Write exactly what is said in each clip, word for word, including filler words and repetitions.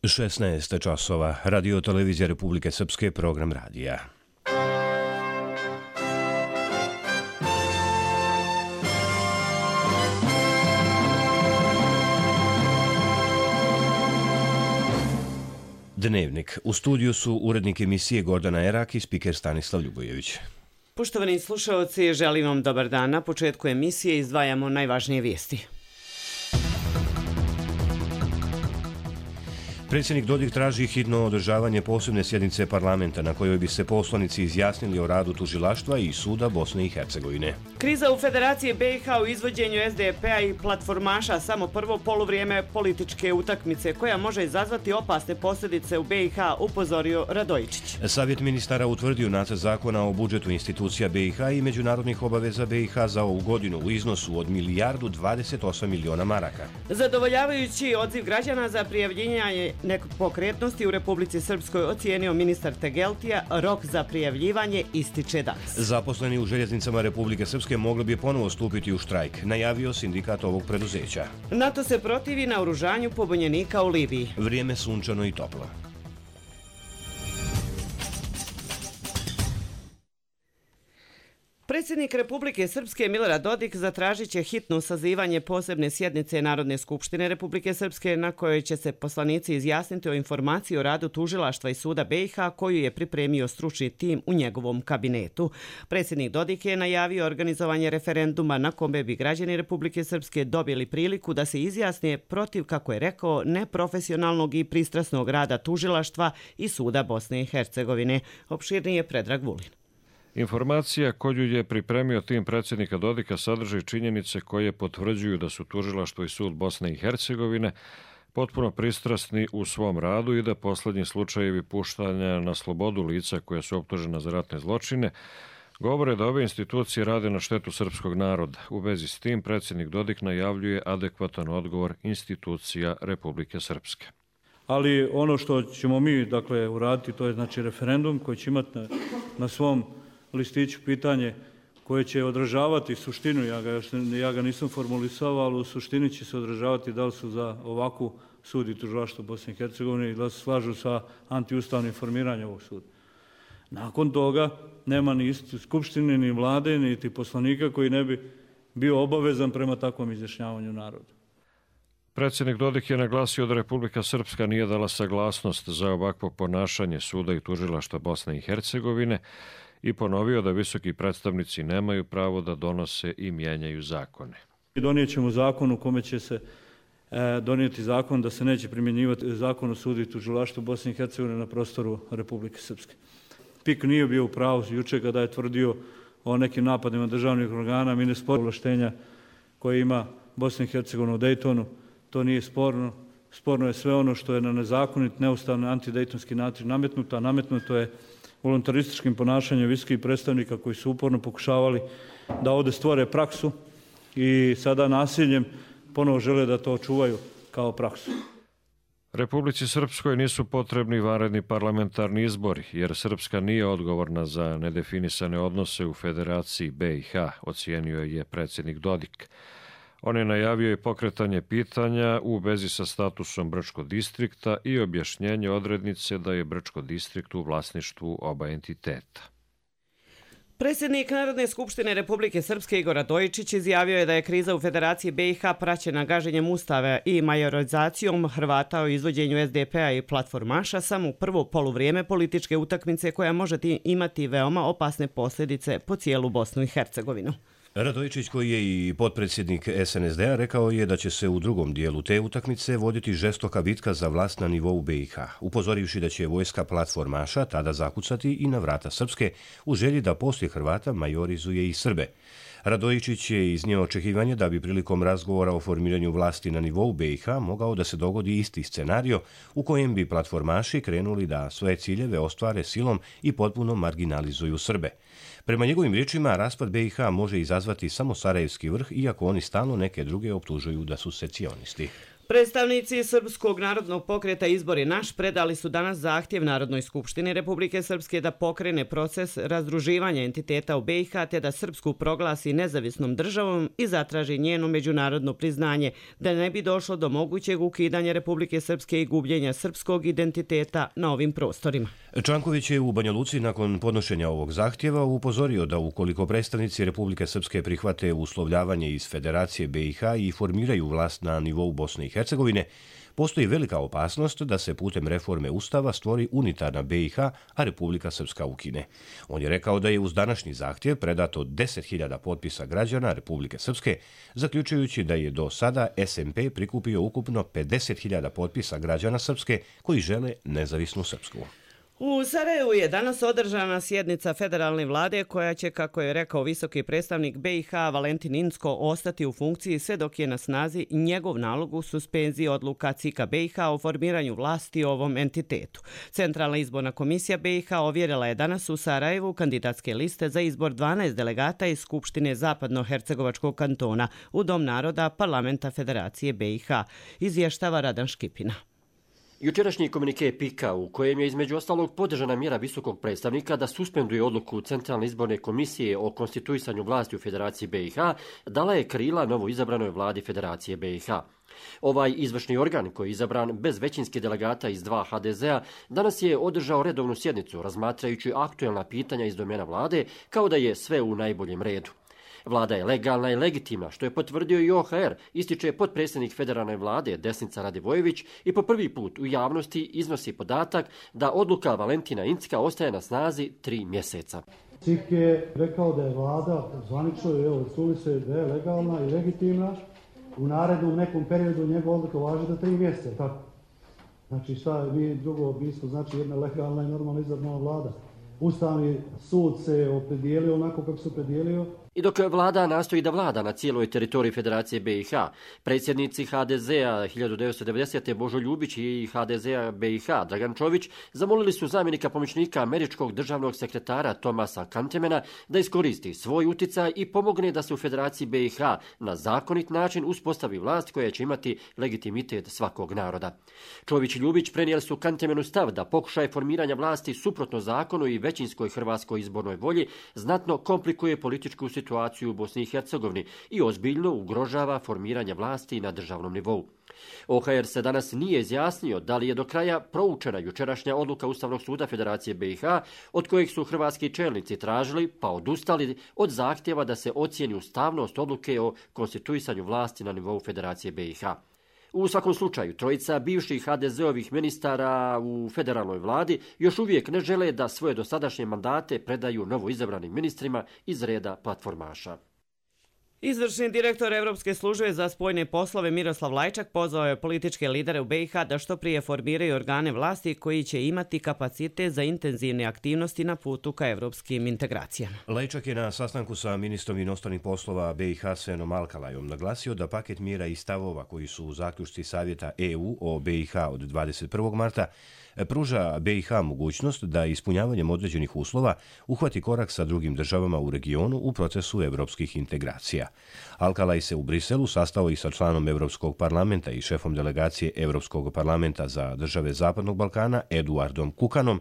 šesnaest časova, Radio televizija Republike Srpske, program radija. Dnevnik. U studiju su urednik emisije Gordana Erak i spiker Stanislav Ljubojević. Poštovani slušaoci, želim vam dobar dan. Na početku emisije izdvajamo najvažnije vijesti. Predsjednik Dodik traži hitno održavanje posebne sjednice parlamenta na kojoj bi se poslanici izjasnili o radu tužilaštva i suda Bosne i Hercegovine. Kriza u Federaciji B i H u izvođenju S D P-a i platformaša samo prvo poluvrijeme političke utakmice koja može izazvati opasne posljedice u B i H, upozorio Radojičić. Savjet ministara utvrdio nacrt zakona o budžetu institucija B i H i međunarodnih obaveza B i H za ovu godinu u iznosu od milijardu dvadeset osam miliona maraka. Zadovoljavajući odziv građana za prijavljivanje nepokretnosti u Republici Srpskoj ocijenio ministar Tegeltija, rok za prijavljivanje ističe danas. Zaposleni u željeznicama Republike Srpske mogli bi ponovo stupiti u štrajk, najavio sindikat ovog preduzeća. NATO se protivi naoružanju pobunjenika u Libiji. Vrijeme sunčano i toplo. Predsjednik Republike Srpske Milorad Dodik zatražit će hitno sazivanje posebne sjednice Narodne skupštine Republike Srpske na kojoj će se poslanici izjasniti o informaciji o radu tužilaštva i suda B i H koju je pripremio stručni tim u njegovom kabinetu. Predsjednik Dodik je najavio organizovanje referenduma na kome bi građani Republike Srpske dobili priliku da se izjasne protiv, kako je rekao, neprofesionalnog i pristrasnog rada tužilaštva i suda Bosne i Hercegovine. Opširnije Predrag Vulin. Informacija koju je pripremio tim predsjednika Dodika sadrži činjenice koje potvrđuju da su tužilaštvo i sud Bosne i Hercegovine potpuno pristrasni u svom radu i da posljednji slučajevi puštanja na slobodu lica koja su optužena za ratne zločine govore da ove institucije rade na štetu srpskog naroda. U vezi s tim predsjednik Dodik najavljuje adekvatan odgovor institucija Republike Srpske. Ali ono što ćemo mi dakle uraditi, to je znači referendum koji će imati na, na svom listiću pitanje koje će odražavati suštinu, ja ga, ja ga nisam formulisao, ali u suštini će se odražavati da li su za ovakvu sud i tužilaštvo Bosne i Hercegovine i da se slažu sa antiustavnim formiranjem ovog suda. Nakon toga nema ni skupštine, ni vlade, niti poslanika koji ne bi bio obavezan prema takvom izjašnjavanju naroda. Predsjednik Dodik je naglasio da Republika Srpska nije dala saglasnost za ovakvo ponašanje suda i tužilaštva Bosne i Hercegovine i ponovio da visoki predstavnici nemaju pravo da donose i mijenjaju zakone. Donijet ćemo zakon u kome će se e, donijeti zakon da se neće primjenjivati zakon o sudu i tužilaštvu Bosne i Hercegovine na prostoru Republike Srpske. P I K nije bio u pravu jučer kada je tvrdio o nekim napadima državnih organa. Mi ne sporimo ovlaštenja koje ima Bosna i Hercegovina u Dejtonu. To nije sporno. Sporno je sve ono što je na nezakonit, neustavni, antidejtonski način nametnuto, a nametnuto je voluntarističkim ponašanjem visokih predstavnika koji su uporno pokušavali da ovdje stvore praksu i sada nasiljem ponovo žele da to očuvaju kao praksu. Republici Srpskoj nisu potrebni vanredni parlamentarni izbori, jer Srpska nije odgovorna za nedefinisane odnose u Federaciji B i H, ocijenio je predsjednik Dodik. On je najavio i pokretanje pitanja u vezi sa statusom Brčkog distrikta i objašnjenje odrednice da je Brčko distrikt u vlasništvu oba entiteta. Predsjednik Narodne skupštine Republike Srpske Igor Radojičić izjavio je da je kriza u Federaciji B i H praćena gaženjem ustava i majorizacijom Hrvata o izvođenju S D P-a i platformaša samo u prvo poluvrijeme političke utakmice koja može imati veoma opasne posljedice po cijelu Bosnu i Hercegovinu. Radojičić, koji je i potpredsjednik S N S D-a, rekao je da će se u drugom dijelu te utakmice voditi žestoka bitka za vlast na nivou B i H, upozorivši da će vojska platformaša tada zakucati i na vrata Srpske u želji da poslije Hrvata majorizuje i Srbe. Radojičić je iznio očekivanje da bi prilikom razgovora o formiranju vlasti na nivou B i H mogao da se dogodi isti scenario u kojem bi platformaši krenuli da svoje ciljeve ostvare silom i potpuno marginalizuju Srbe. Prema njegovim riječima, raspad B i H može izazvati samo Sarajevski vrh, iako oni stalno neke druge optužuju da su secesionisti. Predstavnici Srpskog narodnog pokreta Izbor je naš predali su danas zahtjev Narodnoj skupštini Republike Srpske da pokrene proces razdruživanja entiteta u B i H te da Srpsku proglasi nezavisnom državom i zatraži njeno međunarodno priznanje, da ne bi došlo do mogućeg ukidanja Republike Srpske i gubljenja srpskog identiteta na ovim prostorima. Čanković je u Banja Luci nakon podnošenja ovog zahtjeva upozorio da ukoliko predstavnici Republike Srpske prihvate uslovljavanje iz Federacije B i H i formiraju vlast na nivou Bosne i Hercegovine, postoji velika opasnost da se putem reforme Ustava stvori unitarna B i H, a Republika Srpska ukine. On je rekao da je uz današnji zahtjev predato deset hiljada potpisa građana Republike Srpske, zaključujući da je do sada S M P prikupio ukupno pedeset hiljada potpisa građana Srpske koji žele nezavisnu Srpsku. U Sarajevu je danas održana sjednica federalne vlade koja će, kako je rekao visoki predstavnik B i H Valentin Incko, ostati u funkciji sve dok je na snazi njegov nalog u suspenziji odluka C I K-a B i H o formiranju vlasti u ovom entitetu. Centralna izborna komisija B i H ovjerila je danas u Sarajevu kandidatske liste za izbor dvanaest delegata iz Skupštine Zapadno-Hercegovačkog kantona u Dom naroda Parlamenta Federacije B i H, izvještava Radan Škipina. Jučerašnji komunike Pika, u kojem je između ostalog podržana mjera visokog predstavnika da suspenduje odluku Centralne izborne komisije o konstituisanju vlasti u Federaciji B i H, dala je krila novo izabranoj vladi Federacije B i H. Ovaj izvršni organ, koji je izabran bez većinskih delegata iz dva H D Z-a, danas je održao redovnu sjednicu razmatrajući aktuelna pitanja iz domena vlade, kao da je sve u najboljem redu. Vlada je legalna i legitimna, što je potvrdio i O H R, ističe potpredsjednik federalne vlade Desnica Radivojević i po prvi put u javnosti iznosi podatak da odluka Valentina Incka ostaje na snazi tri mjeseca. C I K je rekao da je vlada zvanično, evo, čuli se da je legalna i legitimna, u narednom nekom periodu njegova odluka važi do tri mjeseca, tako? Znači šta mi drugo bismo, znači jedna legalna i normalna izabrana vlada. Ustavni sud se opredijelio onako kako se opredijelio. I dok vlada nastoji da vlada na cijeloj teritoriji Federacije B i H, predsjednici H D Z-a hiljadu devetsto devedesete. Božo Ljubić i H D Z-a B i H Dragan Čović zamolili su zamjenika pomoćnika američkog državnog sekretara Tomasa Kantemena da iskoristi svoj uticaj i pomogne da se u Federaciji B i H na zakonit način uspostavi vlast koja će imati legitimitet svakog naroda. Čović i Ljubić prenijeli su Kantemenu stav da pokušaj formiranja vlasti suprotno zakonu i većinskoj hrvatskoj izbornoj volji znatno komplikuje političku situaciju situaciju u Bosni i Hercegovini i ozbiljno ugrožava formiranje vlasti na državnom nivou. O H R se danas nije izjasnio da li je do kraja proučena jučerašnja odluka Ustavnog suda Federacije B i H, od kojeg su hrvatski čelnici tražili pa odustali od zahtjeva da se ocijeni ustavnost odluke o konstituisanju vlasti na nivou Federacije B i H. U svakom slučaju, trojica bivših H D Z-ovih ministara u federalnoj vladi još uvijek ne žele da svoje dosadašnje mandate predaju novo izabranim ministrima iz reda platformaša. Izvršni direktor Evropske službe za spoljne poslove Miroslav Lajčak pozvao je političke lidere u B i H da što prije formiraju organe vlasti koji će imati kapacitet za intenzivne aktivnosti na putu ka evropskim integracijama. Lajčak je na sastanku sa ministrom inostranih poslova B i H Senom Alkalajom naglasio da paket mjera i stavova koji su u zaključci Savjeta E U o B i H od dvadeset prvog marta pruža B i H mogućnost da ispunjavanjem određenih uslova uhvati korak sa drugim državama u regionu u procesu evropskih integracija. Alkalaj se u Briselu sastao i sa članom Evropskog parlamenta i šefom delegacije Evropskog parlamenta za države Zapadnog Balkana Eduardom Kukanom,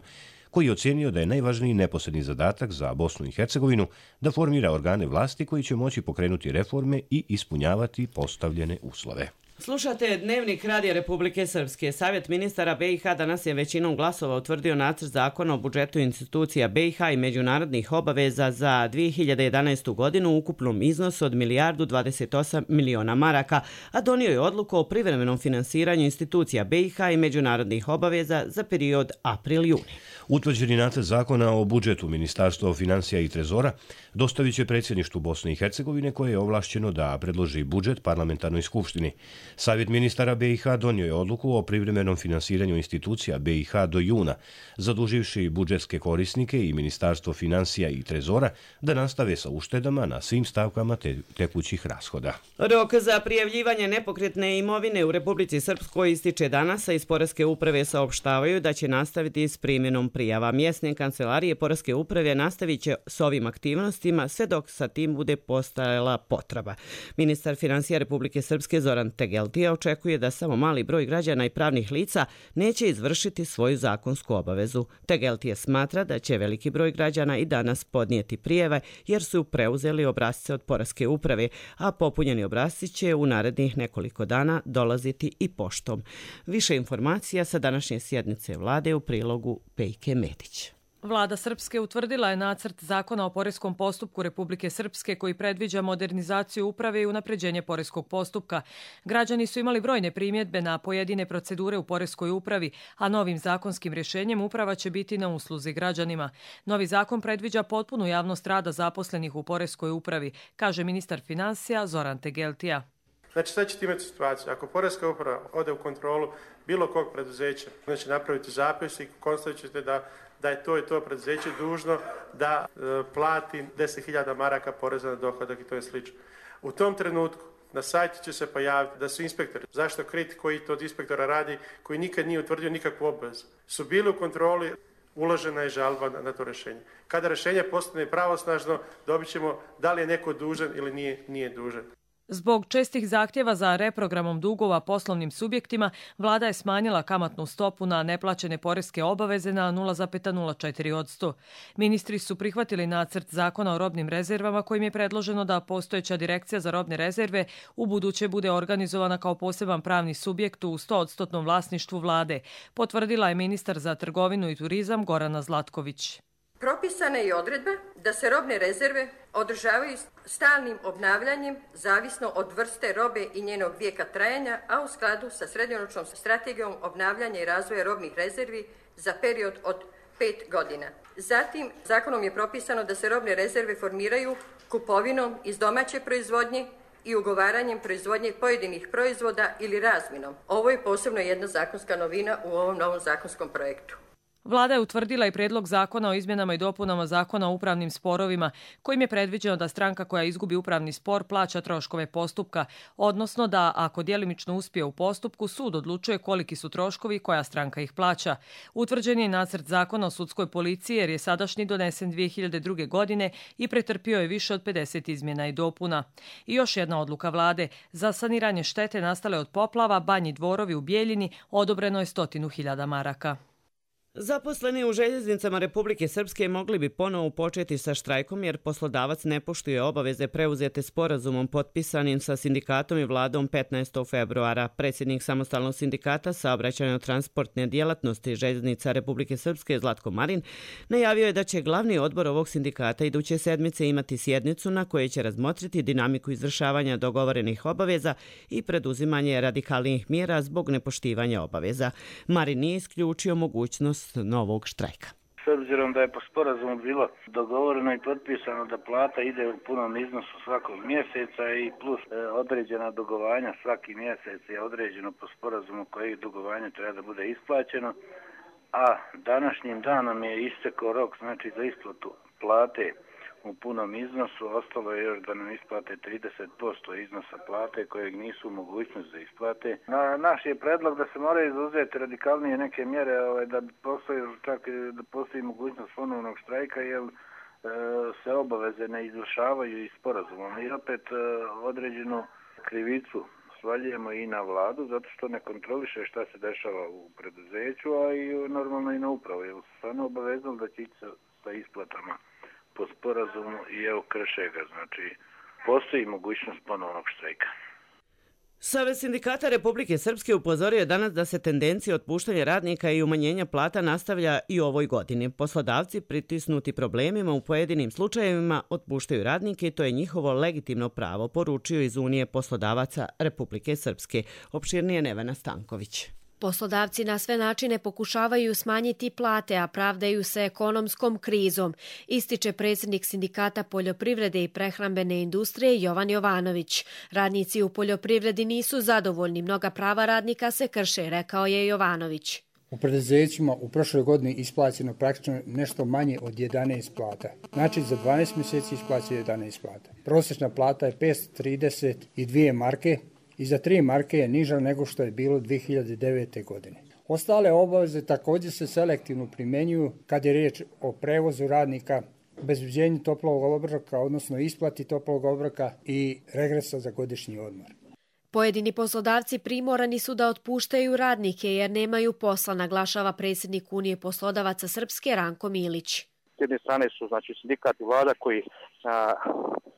koji je ocijenio da je najvažniji neposredni zadatak za Bosnu i Hercegovinu da formira organe vlasti koji će moći pokrenuti reforme i ispunjavati postavljene uslove. Slušate Dnevnik Radija Republike Srpske. Savjet ministara B i H danas je većinom glasova utvrdio nacrt zakona o budžetu institucija B i H i međunarodnih obaveza za dvije hiljade jedanaestu. godinu u ukupnom iznosu od milijardu dvadeset osam miliona maraka, a donio je odluku o privremenom finansiranju institucija B i H i međunarodnih obaveza za period april-juni. Utvrđeni nacrt zakona o budžetu Ministarstva financija i trezora dostavit će predsjedništvu Bosne i Hercegovine koje je ovlašćeno da predloži budžet parlamentarnoj skupštini. Savjet ministara B i H donio je odluku o privremenom finansiranju institucija B i H do juna, zaduživši budžetske korisnike i Ministarstvo financija i trezora da nastave sa uštedama na svim stavkama te, tekućih rashoda. Rok za prijavljivanje nepokretne imovine u Republici Srpskoj ističe danas, a iz Poreske uprave saopštavaju da će nastaviti s primjenom prijava. Mjesne kancelarije Poreske uprave nastavit će s ovim aktivnostima sve dok sa tim bude postojala potreba. Ministar financija Republike Srpske Zoran Teger Tegeltija očekuje da samo mali broj građana i pravnih lica neće izvršiti svoju zakonsku obavezu. Tegeltije smatra da će veliki broj građana i danas podnijeti prijeve jer su preuzeli obrasce od Poreske uprave, a popunjeni obrasci će u narednih nekoliko dana dolaziti i poštom. Više informacija sa današnje sjednice vlade u prilogu Pejke Medić. Vlada Srpske utvrdila je nacrt zakona o poreskom postupku Republike Srpske koji predviđa modernizaciju uprave i unapređenje poreskog postupka. Građani su imali brojne primjedbe na pojedine procedure u poreskoj upravi, a novim zakonskim rješenjem uprava će biti na usluzi građanima. Novi zakon predviđa potpunu javnost rada zaposlenih u poreskoj upravi, kaže ministar financija Zoran Tegeltija. Znači sad ćete imati situaciju, ako Poreska uprava ode u kontrolu bilo kog preduzeća, znači napraviti zapis i konstatit ćete da da je to i to preduzeće dužno da e, plati deset hiljada maraka poreza na dohodak i to je slično. U tom trenutku na sajtu će se pojaviti da su inspektori, zašto kriti koji to od inspektora radi, koji nikad nije utvrdio nikakvu obvezu, su bili u kontroli, uložena je žalba na, na to rješenje. Kada rješenje postane pravosnažno, dobit ćemo da li je neko dužan ili nije, nije dužan. Zbog čestih zahtjeva za reprogramom dugova poslovnim subjektima, vlada je smanjila kamatnu stopu na neplaćene poreske obaveze na nula zarez nula četiri posto. Ministri su prihvatili nacrt zakona o robnim rezervama kojim je predloženo da postojeća direkcija za robne rezerve u buduće bude organizovana kao poseban pravni subjekt u sto posto vlasništvu vlade, potvrdila je ministar za trgovinu i turizam Gorana Zlatković. Propisana je i odredba da se robne rezerve održavaju stalnim obnavljanjem zavisno od vrste robe i njenog vijeka trajanja, a u skladu sa srednjoročnom strategijom obnavljanja i razvoja robnih rezervi za period od pet godina. Zatim, zakonom je propisano da se robne rezerve formiraju kupovinom iz domaće proizvodnje i ugovaranjem proizvodnje pojedinih proizvoda ili razminom. Ovo je posebno jedna zakonska novina u ovom novom zakonskom projektu. Vlada je utvrdila i prijedlog zakona o izmjenama i dopunama zakona o upravnim sporovima, kojim je predviđeno da stranka koja izgubi upravni spor plaća troškove postupka, odnosno da ako djelimično uspije u postupku, sud odlučuje koliki su troškovi i koja stranka ih plaća. Utvrđen je nacrt zakona o sudskoj policiji jer je sadašnji donesen dvije hiljade druge. godine i pretrpio je više od pedeset izmjena i dopuna. I još jedna odluka vlade. Za saniranje štete nastale od poplava Banji Dvorovi u Bijeljini odobreno je stotinu hiljada maraka. Zaposleni u željeznicama Republike Srpske mogli bi ponovo početi sa štrajkom jer poslodavac ne poštuje obaveze preuzete sporazumom potpisanim sa sindikatom i vladom petnaestog februara. Predsjednik samostalnog sindikata saobraćajno-transportne djelatnosti željeznica Republike Srpske Zlatko Marin najavio je da će glavni odbor ovog sindikata iduće sedmice imati sjednicu na kojoj će razmotriti dinamiku izvršavanja dogovorenih obaveza i preduzimanje radikalnih mjera zbog nepoštivanja obaveza. Marin nije isključio mogućnost novog štrajka. S obzirom da je po sporazumu bilo dogovoreno i potpisano da plata ide u punom iznosu svakog mjeseca i plus e, određena dugovanja svaki mjesec je određeno po sporazumu koji dugovanje treba da bude isplaćeno, a današnjim danom je istekao rok znači za isplatu plate u punom iznosu, ostalo je još da nam isplate trideset posto iznosa plate kojeg nisu u mogućnosti da isplate. Na, naš je predlog da se moraju izuzeti radikalnije neke mjere, ovaj, da postoji čak da postoji mogućnost ponovnog štrajka, jer e, se obaveze ne izvršavaju i sporazumom. I opet e, određenu krivicu svaljujemo i na vladu, zato što ne kontroliše šta se dešava u preduzeću, a i normalno i na upravu. Jer su stvarno obavezali da će ići sa, sa isplatama po sporazumu i evo krše ga, znači postoji mogućnost ponovnog štrajka. Savez sindikata Republike Srpske upozorio je danas da se tendencija otpuštanja radnika i umanjenja plata nastavlja i u ovoj godini. Poslodavci pritisnuti problemima u pojedinim slučajevima otpuštaju radnike i to je njihovo legitimno pravo, poručio iz Unije poslodavaca Republike Srpske. Opširnije Nevena Stanković. Poslodavci na sve načine pokušavaju smanjiti plate, a pravdaju se ekonomskom krizom, ističe predsjednik sindikata poljoprivrede i prehrambene industrije Jovan Jovanović. Radnici u poljoprivredi nisu zadovoljni, mnoga prava radnika se krše, rekao je Jovanović. U preduzećima u prošloj godini isplaćeno praktično nešto manje od jedanaest plata. Znači za dvanaest mjeseci isplaćeno jedanaest plata. Prosječna plata je petsto trideset dvije marke. I za tri marke je niža nego što je bilo dvije hiljade devete. godine. Ostale obaveze također se selektivno primjenjuju kad je riječ o prevozu radnika, obezbeđenju toplog obroka, odnosno isplati toplog obroka i regresa za godišnji odmor. Pojedini poslodavci primorani su da otpuštaju radnike jer nemaju posla, naglašava predsjednik Unije poslodavaca Srpske Ranko Milić. S jedne strane su znači sindikat i vlada koji a,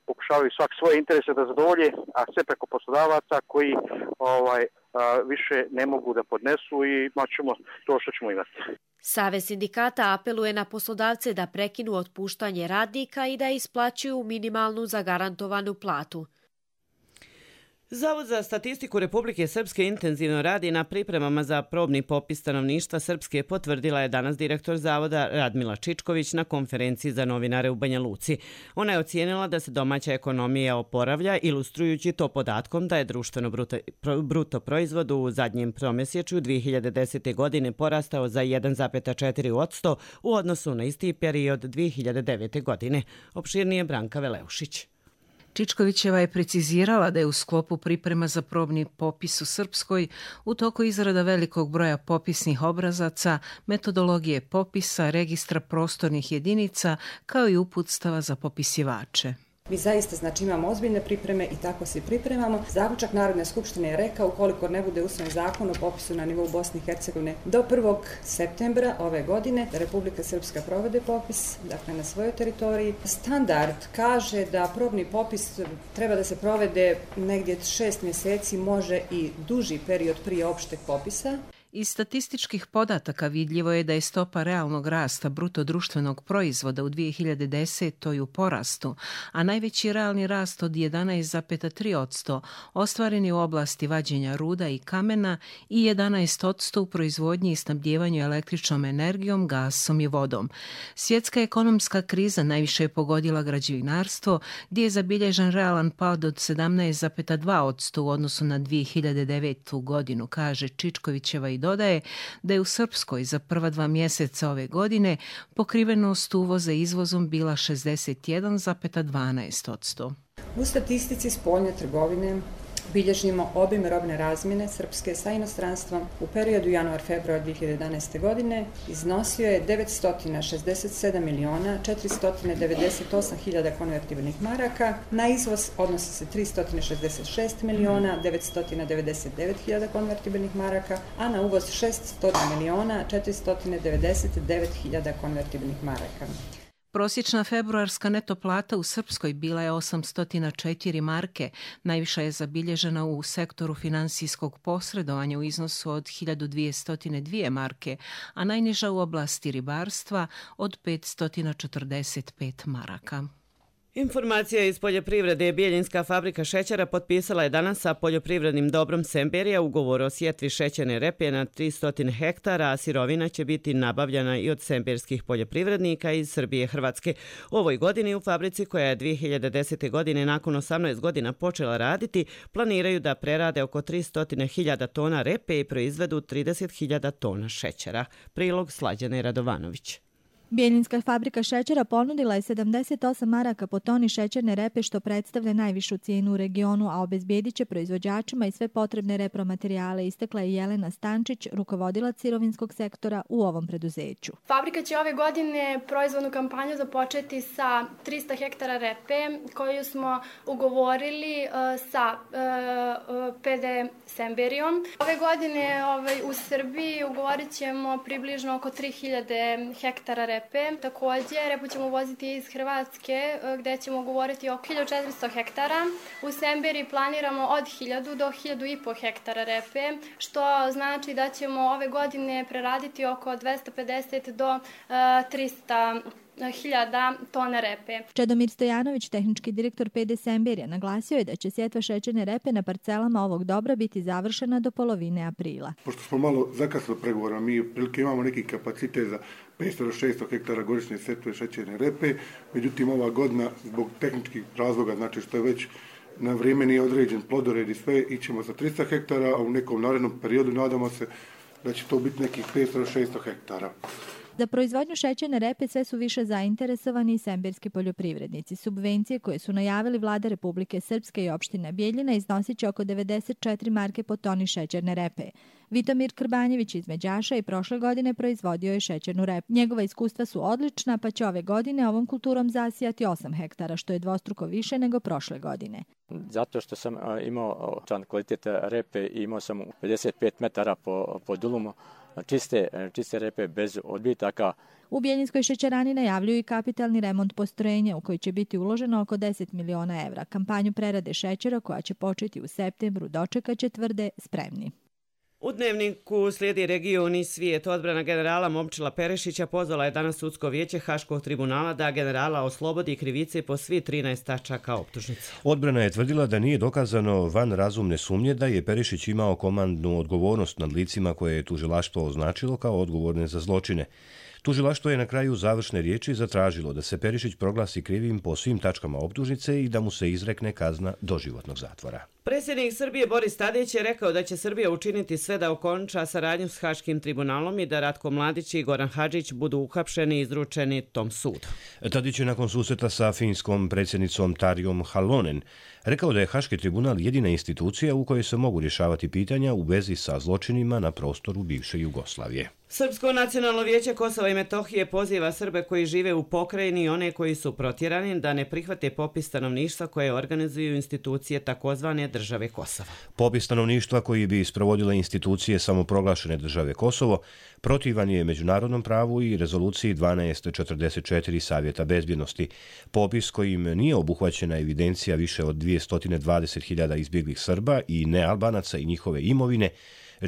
pokušavaju svak svoje interese da zadovolje, a sve preko poslodavaca koji ovaj a, više ne mogu da podnesu i ćemo to što ćemo imati. Savez sindikata apeluje na poslodavce da prekinu otpuštanje radnika i da isplaćuju minimalnu zagarantovanu platu. Zavod za statistiku Republike Srpske intenzivno radi na pripremama za probni popis stanovništva Srpske, potvrdila je danas direktor Zavoda Radmila Čičković na konferenciji za novinare u Banja Luci. Ona je ocijenila da se domaća ekonomija oporavlja, ilustrujući to podatkom da je društveno bruto, bruto proizvod u zadnjem tromjesečju dvije hiljade desete. godine porastao za jedan zarez četiri posto u odnosu na isti period dvije hiljade devete. godine. Opširnije Branka Veleušić. Čičkovićeva je precizirala da je u sklopu priprema za probni popis u Srpskoj u toku izrada velikog broja popisnih obrazaca, metodologije popisa, registra prostornih jedinica, kao i uputstava za popisivače. Mi zaista znači imamo ozbiljne pripreme i tako se pripremamo. Zaključak Narodne skupštine je rekao ukoliko ne bude usvojen zakon o popisu na nivou Bosne i Hercegovine do prvog septembra ove godine da Republika Srpska provede popis, dakle na svojoj teritoriji. Standard kaže da probni popis treba da se provede negdje šest mjeseci, može i duži period prije opšteg popisa. Iz statističkih podataka vidljivo je da je stopa realnog rasta bruto društvenog proizvoda u dvije hiljade desete. u porastu, a najveći realni rast od jedanaest zarez tri posto ostvaren je u oblasti vađenja ruda i kamena i jedanaest posto u proizvodnji i snabdjevanju električnom energijom, gasom i vodom. Svjetska ekonomska kriza najviše je pogodila građevinarstvo, gdje je zabilježen realan pad od sedamnaest zarez dva posto u odnosu na dvije hiljade devetu. godinu, kaže Čičkovićeva i dodaje da je u Srpskoj za prva dva mjeseca ove godine pokrivenost uvoza izvozom bila šezdeset jedan zarez dvanaest posto. U statistici spoljne trgovine bilježimo obim robne razmjene Srpske sa inostranstvom u periodu januar-februar dvije hiljade jedanaeste. godine iznosio je devetsto šezdeset sedam miliona četiristo devedeset osam hiljada konvertibilnih maraka, na izvoz odnosi se tristo šezdeset šest miliona devetsto devedeset devet hiljada konvertibilnih maraka, a na uvoz šesto miliona četiristo devedeset devet hiljada konvertibilnih maraka. Prosječna februarska neto plata u Srpskoj bila je osamsto četiri marke, najviša je zabilježena u sektoru finansijskog posredovanja u iznosu od hiljadu dvjesto dvije marke, a najniža u oblasti ribarstva od petsto četrdeset pet maraka. Informacija iz poljoprivrede. Bijeljinska fabrika šećera potpisala je danas sa poljoprivrednim dobrom Semberija ugovor o sjetvi šećerne repe na tristo hektara, a sirovina će biti nabavljana i od semberskih poljoprivrednika iz Srbije i Hrvatske. U ovoj godini u fabrici, koja je dvije hiljade desete. godine nakon osamnaest godina počela raditi, planiraju da prerade oko tristo hiljada tona repe i proizvedu trideset hiljada tona šećera. Prilog Slađane Radovanović. Bijeljinska fabrika šećera ponudila je sedamdeset osam maraka po toni šećerne repe, što predstavlja najvišu cijenu u regionu, a obezbjedit će proizvođačima i sve potrebne repromaterijale, istakla je Jelena Stančić, rukovodilac sirovinskog sektora u ovom preduzeću. Fabrika će ove godine proizvodnu kampanju započeti sa tristo hektara repe koju smo ugovorili uh, sa uh, P D Semberijom. Ove godine ovaj, u Srbiji ugovorit ćemo približno oko tri hiljade hektara repe. Također, repu ćemo uvoziti iz Hrvatske, gdje ćemo govoriti oko hiljadu četiristo hektara. U Semberiji planiramo od hiljadu do hiljadu i po hektara repe, što znači da ćemo ove godine preraditi oko dvjesto pedeset do trista hiljada tona repe. Čedomir Stojanović, tehnički direktor P D Semberija, naglasio je da će sjetva šećerne repe na parcelama ovog dobra biti završena do polovine aprila. Pošto smo malo zakasnili pregovora, mi prilike imamo neki kapacitet za petsto do šesto hektara godišnje setve šećerne repe, međutim ova godina zbog tehničkih razloga, znači što je već na vrijeme nije određen plodored i sve, ićemo sa tristo hektara, a u nekom narednom periodu nadamo se da će to biti nekih petsto do šesto hektara. Za proizvodnju šećerne repe sve su više zainteresovani i semberski poljoprivrednici. Subvencije koje su najavili vlada Republike Srpske i opština Bijeljina iznosit će oko devedeset četiri marke po toni šećerne repe. Vitomir Krbanjević iz Međaša i prošle godine proizvodio je šećernu repu. Njegova iskustva su odlična, pa će ove godine ovom kulturom zasijati osam hektara, što je dvostruko više nego prošle godine. Zato što sam imao čan kvalitet repe i imao sam pedeset pet metara po, po dulumu čiste, čiste repe bez odbitaka. U Bijeljinskoj šećerani najavljuju i kapitalni remont postrojenja u koji će biti uloženo oko deset miliona evra. Kampanju prerade šećera koja će početi u septembru dočekat će, tvrde, spremni. U Dnevniku slijedi region i svijet. Odbrana generala Momčila Perešića pozvala je danas sudsko vijeće Haškog tribunala da generala oslobodi krivice po svi trinaest tačaka optužnice. Odbrana je tvrdila da nije dokazano van razumne sumnje da je Perešić imao komandnu odgovornost nad licima koje je tužilaštvo označilo kao odgovorne za zločine. Tužilaštvo je na kraju završne riječi zatražilo da se Perišić proglasi krivim po svim tačkama optužnice i da mu se izrekne kazna doživotnog zatvora. Predsjednik Srbije Boris Tadić je rekao da će Srbija učiniti sve da okonča saradnju s Haškim tribunalom i da Ratko Mladić i Goran Hadžić budu uhapšeni i izručeni tom sudu. Tadić je nakon susreta sa finskom predsjednicom Tarjom Halonen rekao da je Haški tribunal jedina institucija u kojoj se mogu rješavati pitanja u vezi sa zločinima na prostoru bivše Jugoslavije. Srpsko nacionalno vijeće Kosova i Metohije poziva Srbe koji žive u pokrajini i one koji su protjerani da ne prihvate popis stanovništva koje organizuju institucije takozvane države Kosova. Popis stanovništva koji bi sprovodile institucije samoproglašene države Kosovo protivan je međunarodnom pravu i rezoluciji dvanaest četrdeset četiri Savjeta bezbjednosti. Popis kojim nije obuhvaćena evidencija više od dvjesto dvadeset hiljada izbjeglih Srba i nealbanaca i njihove imovine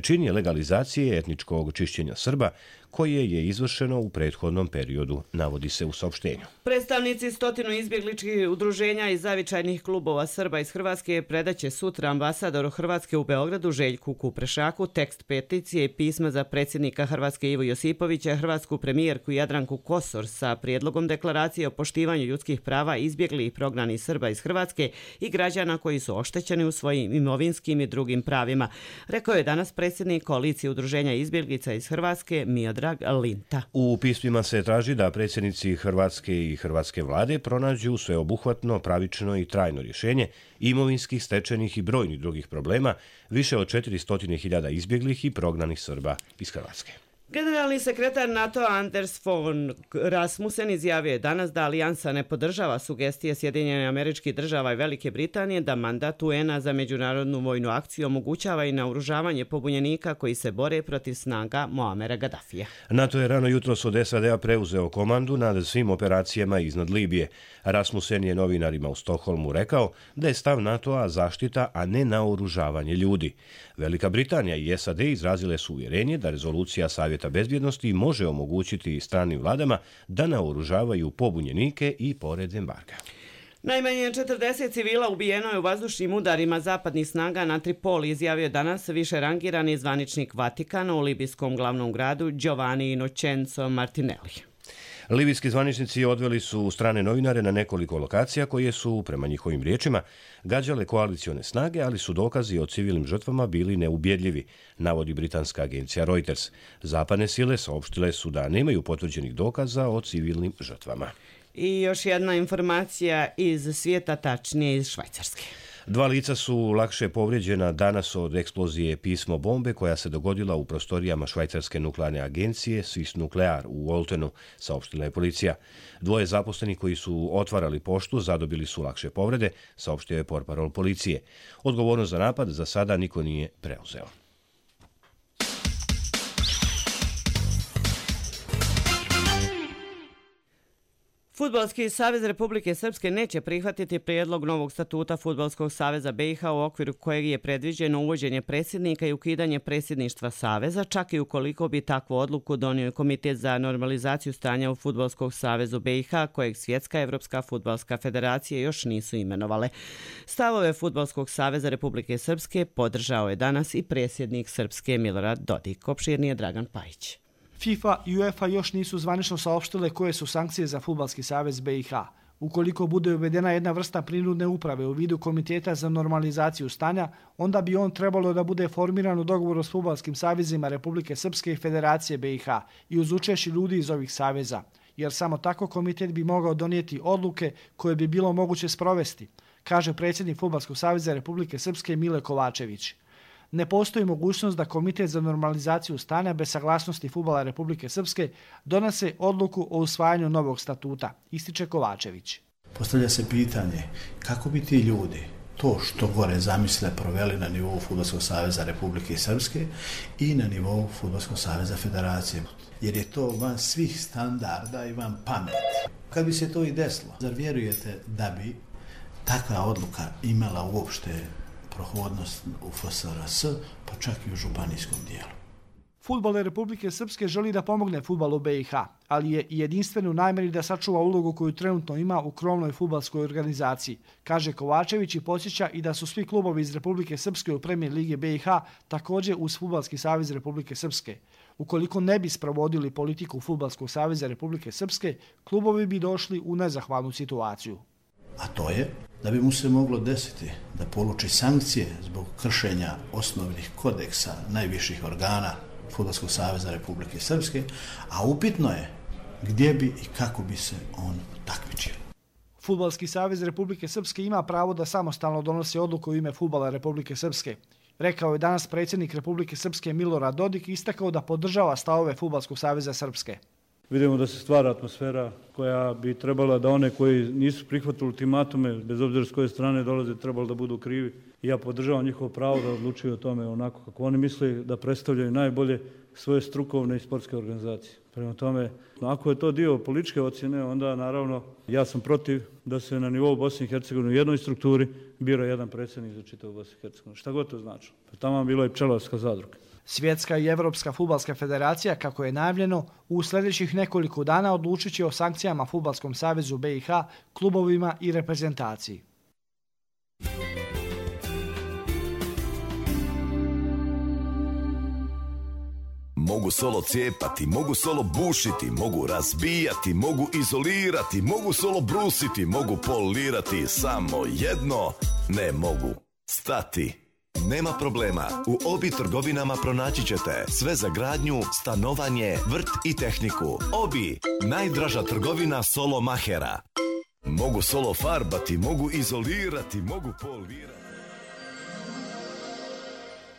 čini legalizacije etničkog čišćenja Srba koje je izvršeno u prethodnom periodu, navodi se u saopštenju. Predstavnici stotinu izbjegličkih udruženja i zavičajnih klubova Srba iz Hrvatske predaće sutra ambasadoru Hrvatske u Beogradu Željku Kuprešaku tekst peticije i pisma za predsjednika Hrvatske Ivo Josipovića, hrvatsku premijerku Jadranku Kosor sa prijedlogom deklaracije o poštivanju ljudskih prava izbjeglih i prognanih Srba iz Hrvatske i građana koji su oštećeni u svojim imovinskim i drugim pravima, rekao je danas predsjednik koalicije udruženja izbjeglica iz Hrvatske Miodrag Linta. U pismima se traži da predsjednici Hrvatske i hrvatske vlade pronađu sveobuhvatno, pravično i trajno rješenje imovinskih, stečenih i brojnih drugih problema više od četiristo hiljada izbjeglih i prognanih Srba iz Hrvatske. Generalni sekretar NATO Anders Fogh Rasmussen izjavio je danas da alijansa ne podržava sugestije Sjedinjenih Američkih Država i Velike Britanije da mandat U N-a za međunarodnu vojnu akciju omogućava i naoružavanje pobunjenika koji se bore protiv snaga Muamera Gaddafija. NATO je rano jutros od S A D-a preuzeo komandu nad svim operacijama iznad Libije. Rasmussen je novinarima u Stokholmu rekao da je stav NATO-a zaštita, a ne naoružavanje ljudi. Velika Britanija i S A D izrazile su uvjerenje da rezolucija Savjeta bezbjednosti može omogućiti stranim vladama da naoružavaju pobunjenike i pored embarga. Najmanje četrdeset civila ubijeno je u vazdušnim udarima zapadnih snaga na Tripoli, izjavio danas više rangirani zvaničnik Vatikana u libijskom glavnom gradu Giovanni Innocenzo Martinelli. Libijski zvaničnici odveli su strane novinare na nekoliko lokacija koje su, prema njihovim riječima, gađale koalicione snage, ali su dokazi o civilnim žrtvama bili neubjedljivi, navodi britanska agencija Reuters. Zapadne sile saopštile su da nemaju potvrđenih dokaza o civilnim žrtvama. I još jedna informacija iz svijeta, tačnije iz Švajcarske. Dva lica su lakše povrijeđena danas od eksplozije pismo bombe koja se dogodila u prostorijama švajcarske nuklearne agencije Swiss Nuclear u Oltenu, saopštila je policija. Dvoje zaposlenih koji su otvarali poštu zadobili su lakše povrede, saopštio je portparol policije. Odgovornost za napad za sada niko nije preuzeo. Fudbalski savez Republike Srpske neće prihvatiti prijedlog novog statuta Fudbalskog saveza B i H u okviru kojeg je predviđeno uvođenje predsjednika i ukidanje predsjedništva saveza, čak i ukoliko bi takvu odluku donio Komitet za normalizaciju stanja u Fudbalskog savezu B i H, kojeg Svjetska Evropska fudbalska federacija još nisu imenovale. Stavove Fudbalskog saveza Republike Srpske podržao je danas i predsjednik Srpske Milorad Dodik. Opširnije Dragan Pajić. FIFA i UEFA još nisu zvanično saopštile koje su sankcije za Fudbalski savez B i H. Ukoliko bude uvedena jedna vrsta prinudne uprave u vidu Komiteta za normalizaciju stanja, onda bi on trebalo da bude formiran u dogovoru s Fudbalskim savezima Republike Srpske i Federacije B i H i uz učešće ljudi iz ovih saveza, jer samo tako komitet bi mogao donijeti odluke koje bi bilo moguće sprovesti, kaže predsjednik Fudbalskog saveza Republike Srpske Mile Kovačević. ne postoji mogućnost da Komitet za normalizaciju stanja bez saglasnosti fudbala Republike Srpske donese odluku o usvajanju novog statuta, ističe Kovačević. Postavlja se pitanje kako bi ti ljudi to što gore zamisle proveli na nivou Fudbalskog saveza Republike Srpske i na nivou Fudbalskog saveza Federacije. Jer je to van svih standarda i van pameti. Kad bi se to i desilo, zar vjerujete da bi takva odluka imala uopšte prohodnost u F S R S, pa čak i u županijskom dijelu? Fudbal Republike Srpske želi da pomogne fudbalu B i H, ali je jedinstven u namjeri da sačuva ulogu koju trenutno ima u krovnoj fudbalskoj organizaciji, kaže Kovačević i podsjeća i da su svi klubovi iz Republike Srpske u Premier Ligi B i H također uz Fudbalski savez Republike Srpske. Ukoliko ne bi sprovodili politiku Fudbalskog saveza Republike Srpske, klubovi bi došli u nezahvalnu situaciju. A to je da bi mu se moglo desiti da poluči sankcije zbog kršenja osnovnih kodeksa najviših organa Fudbalskog saveza Republike Srpske, a upitno je gdje bi i kako bi se on takmičio. Fudbalski savez Republike Srpske ima pravo da samostalno donosi odluku u ime fudbala Republike Srpske. Rekao je danas predsjednik Republike Srpske Milorad Dodik i istakao da podržava stavove Fudbalskog saveza Srpske. Vidimo da se stvara atmosfera koja bi trebala da one koji nisu prihvatili ultimatume, bez obzira s koje strane dolaze, trebalo da budu krivi. I ja podržavam njihovo pravo da odlučuju o tome onako kako oni misle, da predstavljaju najbolje svoje strukovne i sportske organizacije. Prema tome, ako je to dio političke ocjene, onda naravno ja sam protiv da se na nivou Bosne i Hercegovine u jednoj strukturi bira jedan predsjednik za čitavu Bosnu i Hercegovinu. Šta god to znači. Tamo bila i pčelarska zadruga. Svjetska i Evropska fudbalska federacija, kako je najavljeno, u sljedećih nekoliko dana odlučit će o sankcijama Fudbalskom savezu B i H, klubovima i reprezentaciji. Mogu solo cijepati, mogu solo bušiti, mogu razbijati, mogu izolirati, mogu solo brusiti, mogu polirati, samo jedno ne mogu stati. Nema problema, u Obi trgovinama pronaći ćete sve za gradnju, stanovanje, vrt i tehniku. Obi, najdraža trgovina solo mahera. Mogu solo farbati, mogu izolirati, mogu polirati.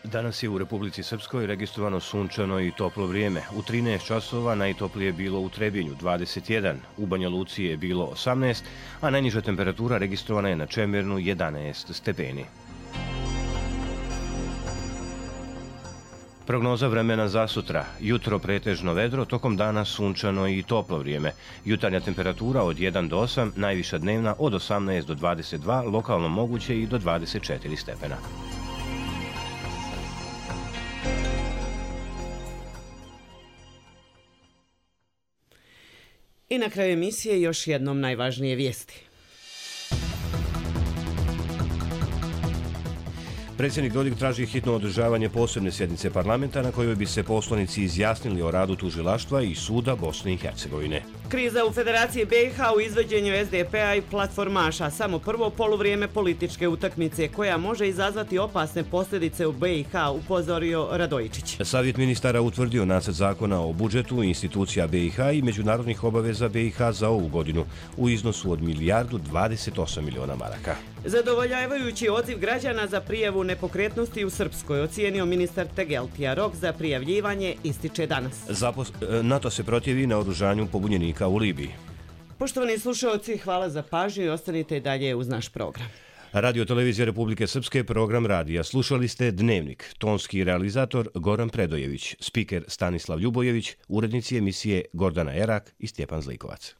Danas je u Republici Srpskoj registrovano sunčano i toplo vrijeme. U trinaest časova najtoplije je bilo u Trebinju dvadeset jedan, u Banja Luci je bilo osamnaest, a najniža temperatura registrovana je na Čemernu jedanaest stepeni. Prognoza vremena za sutra. Jutro pretežno vedro, tokom dana sunčano i toplo vrijeme. Jutarnja temperatura od jedan do osam, najviša dnevna od osamnaest do dvadeset dva, lokalno moguće i do dvadeset četiri stepena. I na kraju emisije još jednom najvažnije vijesti. Predsjednik Dodik traži hitno održavanje posebne sjednice parlamenta na kojoj bi se poslanici izjasnili o radu tužilaštva i suda Bosne i Hercegovine. Kriza u Federaciji B i H u izvođenju S D P-a i platformaša, samo prvo poluvrijeme političke utakmice koja može izazvati opasne posljedice u B i H, upozorio Radojičić. Savjet ministara utvrdio nacrt zakona o budžetu institucija B i H i međunarodnih obaveza B i H za ovu godinu u iznosu od milijardu dvadeset osam miliona maraka. Zadovoljavajući odziv građana za prijavu nepokretnosti u Srpskoj, ocijenio ministar Tegeltija. Rok za prijavljivanje ističe danas. Zapos... NATO se protivi na oružanju pobunjenika u Libiji. Poštovani slušalci, hvala za pažnju i ostanite dalje uz naš program. Radio Televizija Republike Srpske, program radija. Slušali ste Dnevnik, tonski realizator Goran Predojević, spiker Stanislav Ljubojević, urednici emisije Gordana Erak i Stjepan Zlikovac.